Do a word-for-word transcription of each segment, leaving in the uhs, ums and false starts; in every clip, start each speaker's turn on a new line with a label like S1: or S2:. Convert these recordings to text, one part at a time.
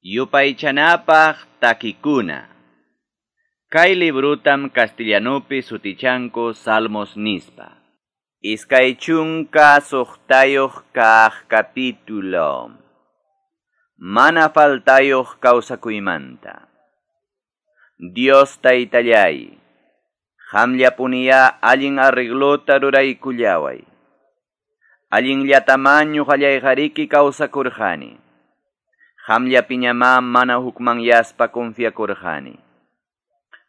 S1: Yupaychanapaq takikuna. Kay librutam castellanupi sutichanku Salmos nispa. Iskay chunka suqtayuq kaq capítulo. Mana faltayuq kawsakuymanta. Dios taytallay, qamllapuniya allin arreglota ruraykullaway. Allinllatamá ñuqallayqariki kawsakurqani. Qamllapiñamá mana hukmanyaspa confiakurqani.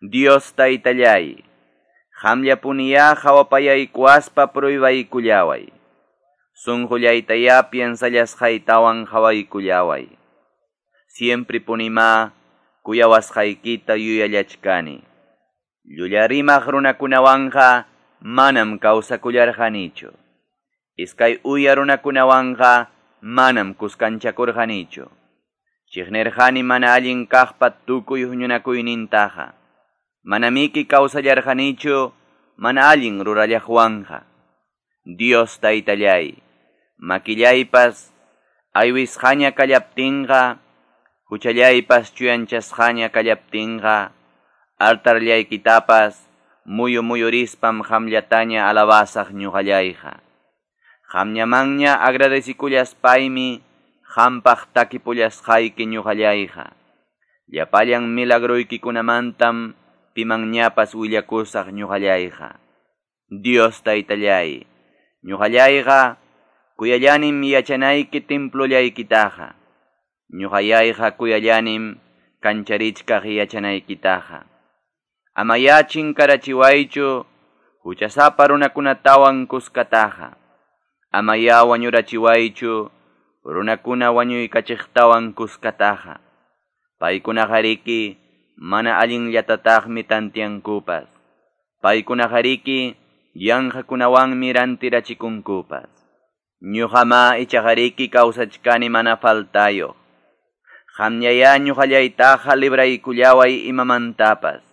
S1: Dios taytallay, qamllapuniya qhawapayaykuwaspa pruibaykullaway. Sunqullaytaya piensallasqaytawan qhawaykullaway. Siempre punimá kuyawasqaykita yuyallachkani. Llulla rimaq runakunawanqa manam kawsakullarqanichu. Iskay uya runakunawanqa manam kuskanchakurqanichu. Chiqnirqani mana allin kaqpa tukuy huñunakuynintaqa. Manamiki kawsallarqanichu mana allin rurallaqwanqa. Dios taytallay, makillaypas aywisqaña kallaptinqa, huchallaypas chuyanchasqaña kallaptinqa, altarllaykitapas muyu muyurispam qamllataña alabasaq ñuqallayqa. Qamñamanña agradecikullaspaymi qampaq takipullasqayki ñuqallayqa. Llapallan milagroykikunamantam pimanñapas willakusaq ñuqallayqa. Dios taytallay, ñuqallayqa kuyallanim yachanayki templollaykitaqa. Ñuqallayqa kuyallanim kancharichkaq yachanaykitaqa. Amayá chinkarachiwaychu huchasapa runakunatawan kuskataqa. Amayá wañurachiwaychu runakuna wañuykachiqtawan kuskataqa. Paykunaqariki mana allinllatataqmi tantiankupas. Paykunaqariki yanqakunawanmi rantirachikunkupas. Ñuqamá ichaqariki kawsachkani mana faltayuq. Qamllayá ñuqallaytaqa libraykullaway imamantapas.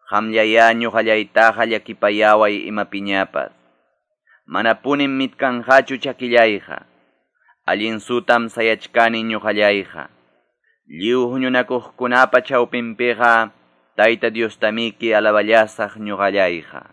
S1: Qamllayá ñuqallaytaqa llakipayaway imapiñapas. Manapunim mitkanqachu chakillayqa. Allin sutam sayachkani ñuqallayqa. Lliw huñunakuqkunapa chawpinpiqa Tayta Diostamiki alaballasaq ñuqallayqa.